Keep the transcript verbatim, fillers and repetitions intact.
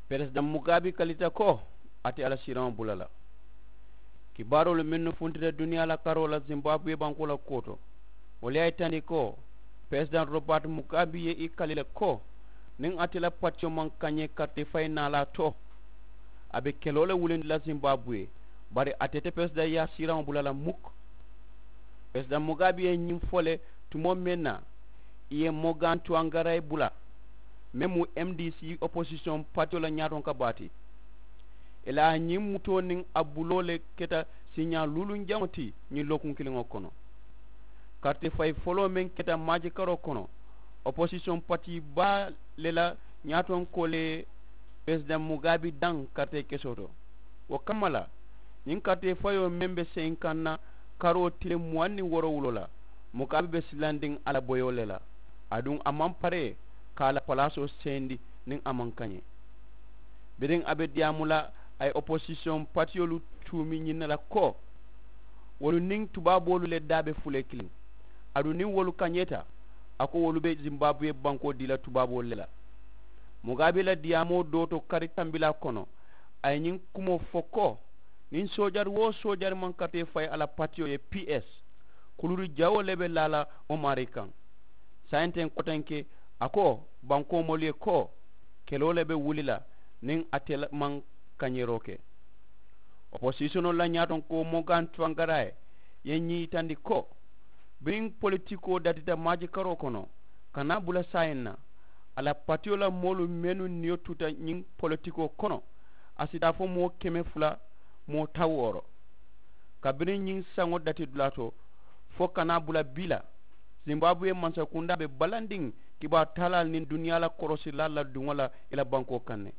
Peresidaŋ mugaabi kalita ko a te a la siiraŋo bula la. Kibaaroolu mennu funtita duniyaa la karoo la zimbaabuwe bankoo la kuwo to, wolu ye a yitandi ko peresidaŋ robert mugaabi ye i kali le ko niŋ ate la patiyo maŋ kañee karite fayi naalaa to, a be keloo le wulindi la zimbaabuwe, bari ate te peresidaŋ yaa siiraŋo bula la muk. Peresidaŋ mugaabi ye ñiŋ fo le tumoo meŋ na i ye mogantu angarayi bula, meŋ mu m d c oposisiyoŋ patiyo la ñaatoŋ ka baati. Ì la a ñiŋ mutoo niŋ a buloo le keta siiñaa luuluŋ jaŋo ti ñiŋ lookuŋ kiliŋo kono. Karite fayi foloo meŋ keta maaji karoo kono, oposisiyoŋ pati baa le la ñaatoŋ ko le ye peresidaŋ mugaabi daŋ karite kesoo to. Wo kamma la ñiŋ karite fayoo meŋ be seyiŋ kaŋ na karoo tiliŋ muwaŋ niŋ woorowuloo la, mugaabi be silandiŋ a la boyoo le la. Aduŋ a maŋ paree ka a la palaasoo seyindi niŋ a maŋ kañee. Biriŋ a be diyaamu la a ye oposisiyoŋ patiyolu tuumi ñiŋ ne la ko wolu niŋ tubaaboolu le daa be fulee kiliŋ. Aduŋ niŋ wolu kañeeta a ko wolu be zimbaabuwe bankoo dii la tubaaboolu le la. Mugaabi la diyaamoo doo to kari tambilaa kono a ye ñiŋ kumoo fo ko niŋ soojari wo soojari maŋ katee fayi a la patiyo ye p s, kuluri jawoo le be laa la wo maarii kaŋ. Saayiŋ teŋ kotenke a ko bankoo moolu ye ko keloo le be wuli la niŋ ate maŋ kañeeroo ke. Oposisiyonoolu la ñaatoŋ ko mogan tuwankara ye ye ñiŋ yitandi ko biriŋ politikoo datita maaji karoo kono, kana a bula saayiŋ na a la patiyo la moolu mennu niyo tuta ñiŋ politikoo kono, a si taa fo moo keme fula moo tawooro. Kabiriŋ ñiŋ saŋo dati dulaa to fo kana a bula bii la, zimbaabuwe mansakundaa be balandiŋ kibaaru taalaalu niŋ duniyaa la korosirilaalu la duŋo la i la bankoo kaŋ ne.